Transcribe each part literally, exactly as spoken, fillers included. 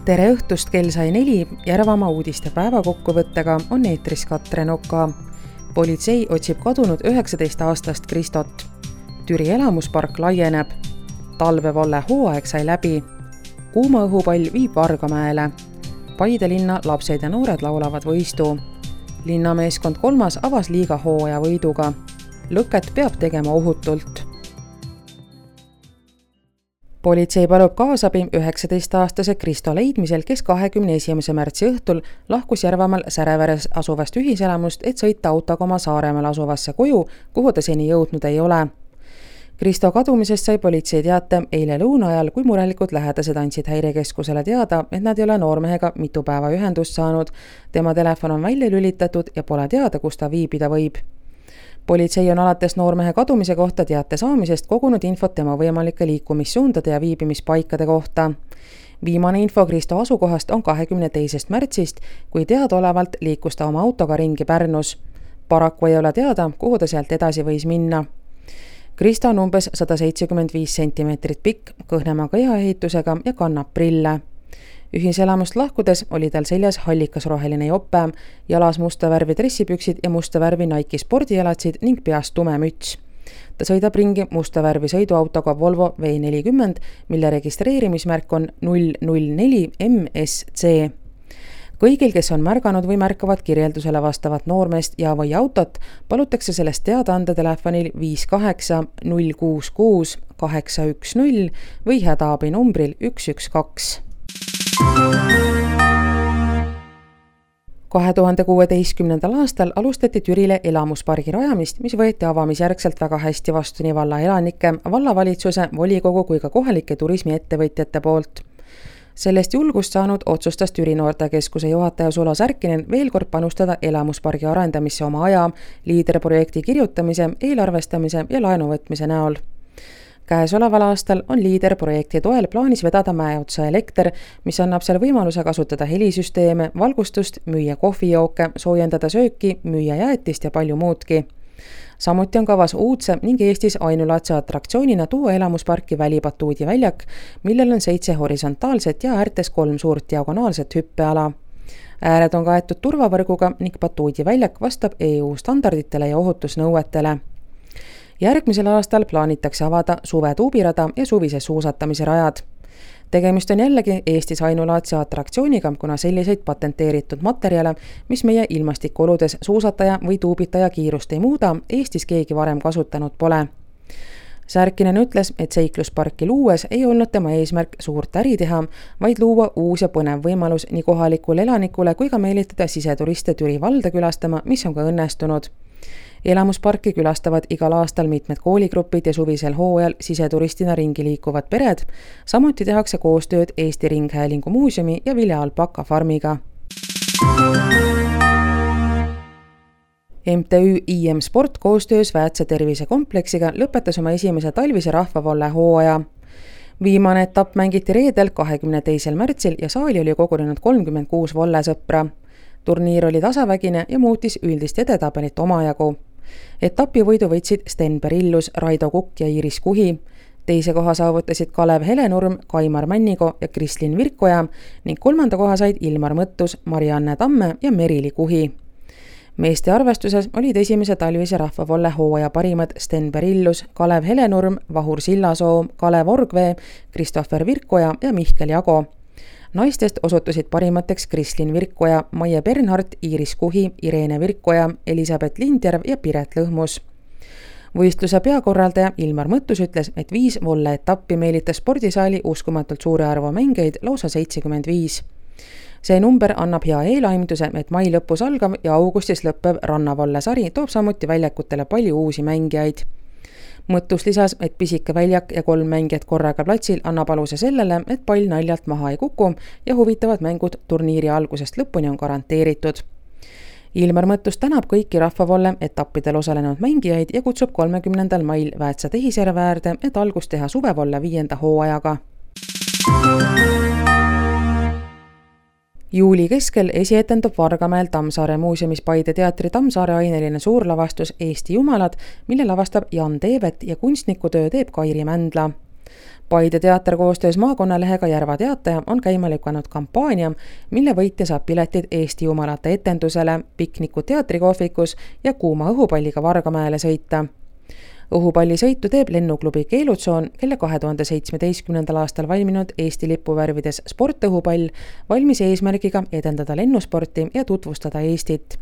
Tere õhtust, kell sai neli, Järvamaa uudiste päevakokkuvõttega on eetris Katrin Oka. Politsei otsib kadunud üheksateist aastast Kristot. Türi elamuspark laieneb. Talvevalle hooaeg sai läbi. Kuuma õhupall viib Vargamäele. Paide linna lapsed ja noored laulavad võistu. Linnameeskond kolmas avas liiga hooaja võiduga. Lõket peab tegema ohutult. Politsei palub kaasabi üheksateist aastase Kristo leidmisel, kes kahekümne esimese märtsi õhtul lahkus Järvamaal Säreveres asuvast ühiselamust, et sõita autoga oma Saaremaal asuvasse koju, kuhu ta seni jõudnud ei ole. Kristo kadumisest sai politsei teate eile lõuna ajal, kui murelikult lähedased andsid häirekeskusele teada, et nad ei ole noormehega mitu päeva ühendust saanud. Tema telefon on välja lülitatud ja pole teada, kus ta viibida võib. Politsei on alates noormehe kadumise kohta teate saamisest kogunud infot tema võimalike liikumissuundade ja viibimispaikade kohta. Viimane info Kristo asukohast on kahekümne teisest märtsist, kui teadaolevalt liikus ta oma autoga ringi Pärnus. Paraku ei ole teada, kuhu ta sealt edasi võis minna. Kristo on umbes sada seitsekümmend viis sentimeetrit pikk, kõhnema kehaehitusega ja kannab prille. Ühiselamust lahkudes oli tal seljas hallikasroheline jope, jalas musta värvi dressipüksid ja musta värvi Nike spordielatsid ning peast tume müts. Ta sõidab ringi musta värvi sõiduautoga Volvo V nelikümmend, mille registreerimismärk on null null neli M S C. Kõigil, kes on märganud või märkavad kirjeldusele vastavat noormeest ja või autot, palutakse sellest teada anda telefonil viis kaheksa null kuus kuus kaheksa üks null või hädaabi numbril üks üks kaks. kahe tuhande kuueteistkümnendal aastal alustati Türile elamuspargi rajamist, mis võeti avamisjärgselt väga hästi vastu nii valla elanike, vallavalitsuse, volikogu kui ka kohalike turismiettevõtjate poolt. Sellest julgust saanud otsustas Türi noortekeskuse juhataja Sulo Särkinen veel kord panustada elamuspargi arendamisse oma aja, liiderprojekti kirjutamise, eelarvestamise ja laenuvõtmise näol. Käesoleval aastal on liiderprojekti toel plaanis vedada mäeotsa elekter, mis annab seal võimaluse kasutada helisüsteeme, valgustust, müüa kohvijooke, soojendada sööki, müüa jäätist ja palju muudki. Samuti on kavas uudse ning Eestis ainulaadse atraktsioonina tuua elamusparki välibatuudi väljak, millel on seitse horisontaalset ja äärtes kolm suurt diagonaalset hüppeala. Ääred on kaetud turvavõrguga ning batuudi väljak vastab E U standarditele ja ohutusnõuetele. Järgmisel aastal plaanitakse avada suve tuubirada ja suvise suusatamise rajad. Tegemist on jällegi Eestis ainulaadse atraktsiooniga, kuna selliseid patenteeritud materjale, mis meie ilmastikuoludes suusataja või tuubitaja kiirust ei muuda, Eestis keegi varem kasutanud pole. Särkinen ütles, et seiklusparki luues ei olnud tema eesmärk suurt äri teha, vaid luua uus ja põnev võimalus nii kohalikule elanikule kui ka meelitada siseturiste Türi valda külastama, mis on ka õnnestunud. Elamusparki külastavad igal aastal mitmed kooligrupid ja suvisel hooajal siseturistina ringi liikuvad pered. Samuti tehakse koostööd Eesti Ringhäälingu muuseumi ja Vilja Alpaka farmiga. M T Ü I M Sport koostöös Väätse tervisekompleksiga lõpetas oma esimese talvise rahvavolle hooaja. Viimane etapp mängiti reedel kahekümne teisel märtsil ja saali oli kogunenud kolmkümmend kuus vollesõpra. Turniir oli tasavägine ja muutis üldist edetabelit omajagu. Etapi võidu võitsid Sten Perillus, Raido Kukk ja Iiris Kuhi. Teise koha saavutasid Kalev Helenurm, Kaimar Männigo ja Kristlin Virkoja ning kolmanda koha said Ilmar Mõttus, Marianne Tamme ja Merili Kuhi. Meeste arvestuses olid esimese talvise rahvavolle hooaja parimad Sten Perillus, Kalev Helenurm, Vahur Sillasoo, Kalev Orgvee, Kristoffer Virkoja ja Mihkel Jago. Naistest osutusid parimateks Kristlin Virkoja, Maie Bernhardt, Iiris Kuhi, Irene Virkoja, Elisabeth Lindjärv ja Piret Lõhmus. Võistluse peakorraldaja Ilmar Mõttus ütles, et viis volle etappi meelitas spordisaali uskumatult suure arvu mängeid, lausa seitsekümmend viis. See number annab hea eelaimduse, et mai lõpus algav ja augustis lõppev rannavolle sari toob samuti väljakutele palju uusi mängijaid. Mõttus lisas, et pisike väljak ja kolm mängijat korraga platsil annab aluse sellele, et pall naljalt maha ei kuku ja huvitavad mängud turniiri algusest lõpuni on garanteeritud. Ilmar Mõttus tänab kõiki rahvavolle etappidel osalenud mängijaid ja kutsub kolmekümnendal mail Väätsa tehisjärve äärde, et algust teha suvevolle viienda hooajaga. Juuli keskel esietendub Vargamäel Tammsaare muuseumis Paide teatri Tammsaare aineline suurlavastus Eesti jumalad, mille lavastab Jan Teevet ja kunstnikutöö teeb Kairi Mändla. Paide teater koostöös maakonnalehega Järva Teataja on käima lükanud kampaania, mille võitja saab piletid Eesti jumalate etendusele, pikniku teatrikohvikus ja kuuma õhupalliga Vargamäele sõita. Õhupallisõitu teeb lennuklubi Keelutsoon, kelle kahe tuhande seitsmeteistkümnendal aastal valminud Eesti lipuvärvides sportõhupall valmis eesmärgiga edendada lennusporti ja tutvustada Eestit.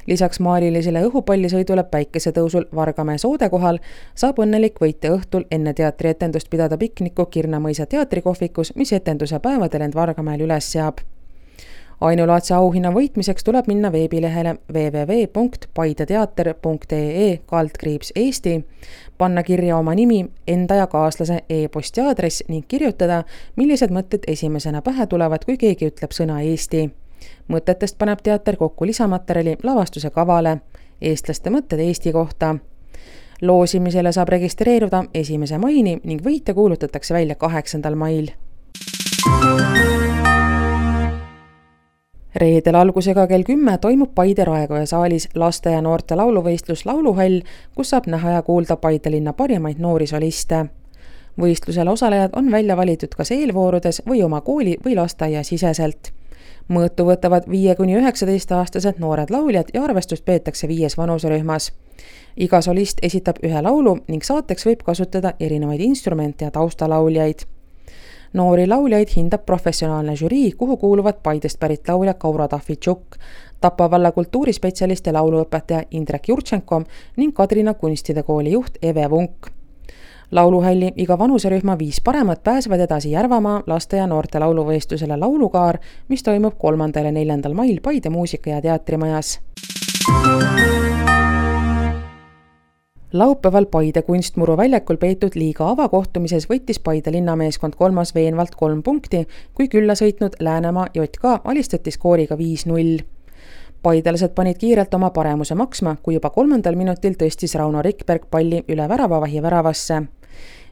Lisaks maalilisele õhupallisõidule päikesetõusul Vargamäe soode kohal saab õnnelik võitja õhtul enne teatrietendust pidada pikniku Kirnamõisa teatrikohvikus, mis etenduse päevadel end Vargamäel üles seab. Ainulaadse auhinna võitmiseks tuleb minna veebilehele w w w punkt paideteater punkt e e kaldkriips Eesti, panna kirja oma nimi, enda ja kaaslase e-posti aadress ning kirjutada, millised mõtted esimesena pähe tulevad, kui keegi ütleb sõna Eesti. Mõtetest paneb teater kokku lisamaterjali lavastuse kavale, eestlaste mõtted Eesti kohta. Loosimisele saab registreeruda esimese maini ning võitja kuulutatakse välja kaheksandal mail. Reedel algusega kell kümme toimub Paide Raekoja saalis laste ja noorte lauluvõistlus Lauluhall, kus saab näha ja kuulda Paide linna parimaid noori soliste. Võistlusel osalejad on välja valitud kas eelvoorudes või oma kooli või lasteaia siseselt. Mõõtu võtavad viie kuni üheksateist aastased noored lauljad ja arvestust peetakse viies vanuserühmas. Iga solist esitab ühe laulu ning saateks võib kasutada erinevaid instrumente ja taustalauljaid. Noori lauljaid hindab professionaalne žürii, kuhu kuuluvad Paidest pärit laulja Kaura Tahvitšuk, Tapa valla kultuurispetsialist ja lauluõpetaja Indrek Jurtšenko ning Kadrina kunstide kooli juht Eve Vunk. Lauluhalli iga vanuserühma viis paremat pääsevad edasi Järvamaa laste ja noorte lauluvõistlusele Laulukaar, mis toimub kolmandal ja neljandal mail Paide muusika- ja teatrimajas. Laupäeval Paide kunstmuru väljakul peetud liiga avakohtumises võttis Paide linnameeskond kolmas veenvalt kolm punkti, kui külla sõitnud Läänemaa J K alistati skooriga viis null. Paidelased panid kiirelt oma paremuse maksma, kui juba kolmandal minutil tõstis Rauno Rikberg palli üle väravavahi väravasse.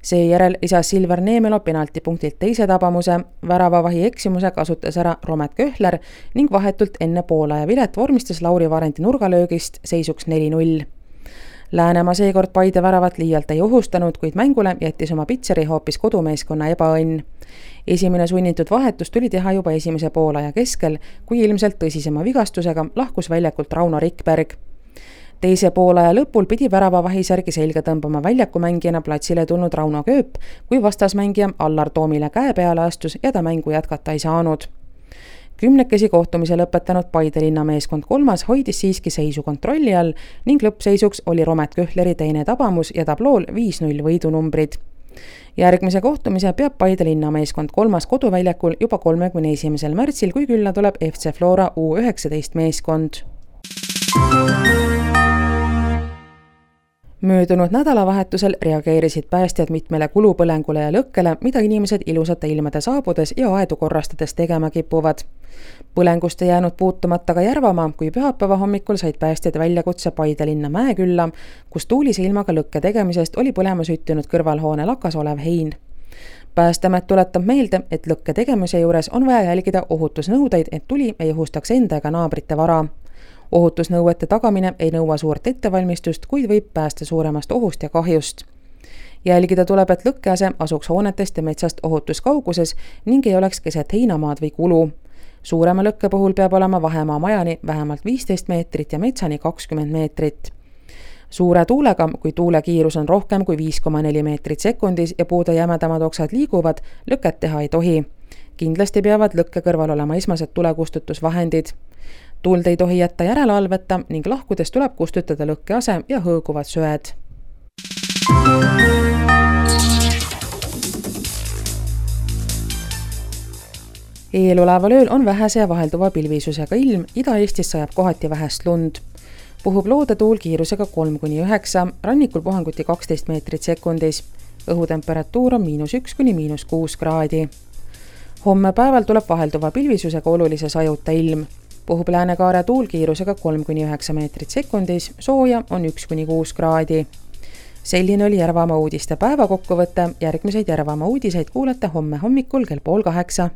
Seejärel lisas Silver Neemelo penaltipunktilt teise tabamuse, väravavahi eksimuse kasutas ära Romet Köhler ning vahetult enne Poola ja Vilet vormistas Lauri Varendi nurgalöögist seisuks neli null. Läänemaa seekord Paide väravat liialt ei ohustanud, kuid mängule jättis oma pitseri hoopis kodumeeskonna ebaõnn. Esimene sunnitud vahetus tuli teha juba esimese poolaja keskel, kui ilmselt tõsisema vigastusega lahkus väljakult Rauno Rikberg. Teise poolaja lõpul pidi väravavahisärgi selga tõmbama väljakumängijana platsile tulnud Rauno Kööp, kui vastasmängija Allar Toomile käe peale astus ja ta mängu jätkata ei saanud. Kümnekesi kohtumise lõpetanud Paide linnameeskond kolmas hoidis siiski seisu kontrolli all ning lõppseisuks oli Romet Köhleri teine tabamus ja tablool viis null võidunumbrid. Järgmise kohtumise peab Paide linnameeskond kolmas koduväljakul juba kolmekümne esimesel märtsil, kui külla tuleb F C Flora U üheksateist meeskond. Möödunud nädalavahetusel reageerisid päästjad mitmele kulupõlengule ja lõkkele, mida inimesed ilusate ilmade saabudes ja aedu korrastades tegema kipuvad. Põlengust ei jäänud puutumata ka Järvamaa, kui pühapäeva hommikul said päästjad väljakutse Paide linna Mäekülla, kus tuulise ilmaga lõkke tegemisest oli põlema süttinud kõrvalhoone lakas olev hein. Päästeamet tuletab meelde, et lõkke tegemise juures on vaja jälgida ohutusnõudeid, et tuli ei ohustaks enda ega naabrite vara. Ohutusnõuete tagamine ei nõua suurt ettevalmistust, kuid võib päästa suuremast ohust ja kahjust. Jälgida tuleb, et lõkkease asuks hoonetest ja metsast ohutuskauguses ning ei oleks keset heinamaad või kulu. Suurema lõkke puhul peab olema vahemaa majani vähemalt viisteist meetrit ja metsani kakskümmend meetrit. Suure tuulega, kui tuule kiirus on rohkem kui viis koma neli meetrit sekundis ja puude jämedamad oksad liiguvad, lõket teha ei tohi. Kindlasti peavad lõkke kõrval olema esmased tulekustutusvahendid. Tuld ei tohi jätta järelevalveta ning lahkudes tuleb kustutada lõkkease ja hõõguvad söed. Eeloleval ööl on vähese ja vahelduva pilvisusega ilm, Ida-Eestis sajab kohati vähest lund. Puhub loodetuul kiirusega kolm kuni üheksa, rannikul puhanguti kaksteist meetrit sekundis. Õhutemperatuur on miinus üks kuni miinus kuus kraadi. Homme päeval tuleb vahelduva pilvisusega olulise sajuta ilm. Puhub Läänekaare tuul kiirusega kolm kuni üheksa meetrit sekundis, sooja on üks kuni kuus kraadi. Selline oli Järvamaa uudiste päeva kokkuvõte, järgmiseid Järvamaa uudiseid kuulete homme hommikul kell pool kaheksa.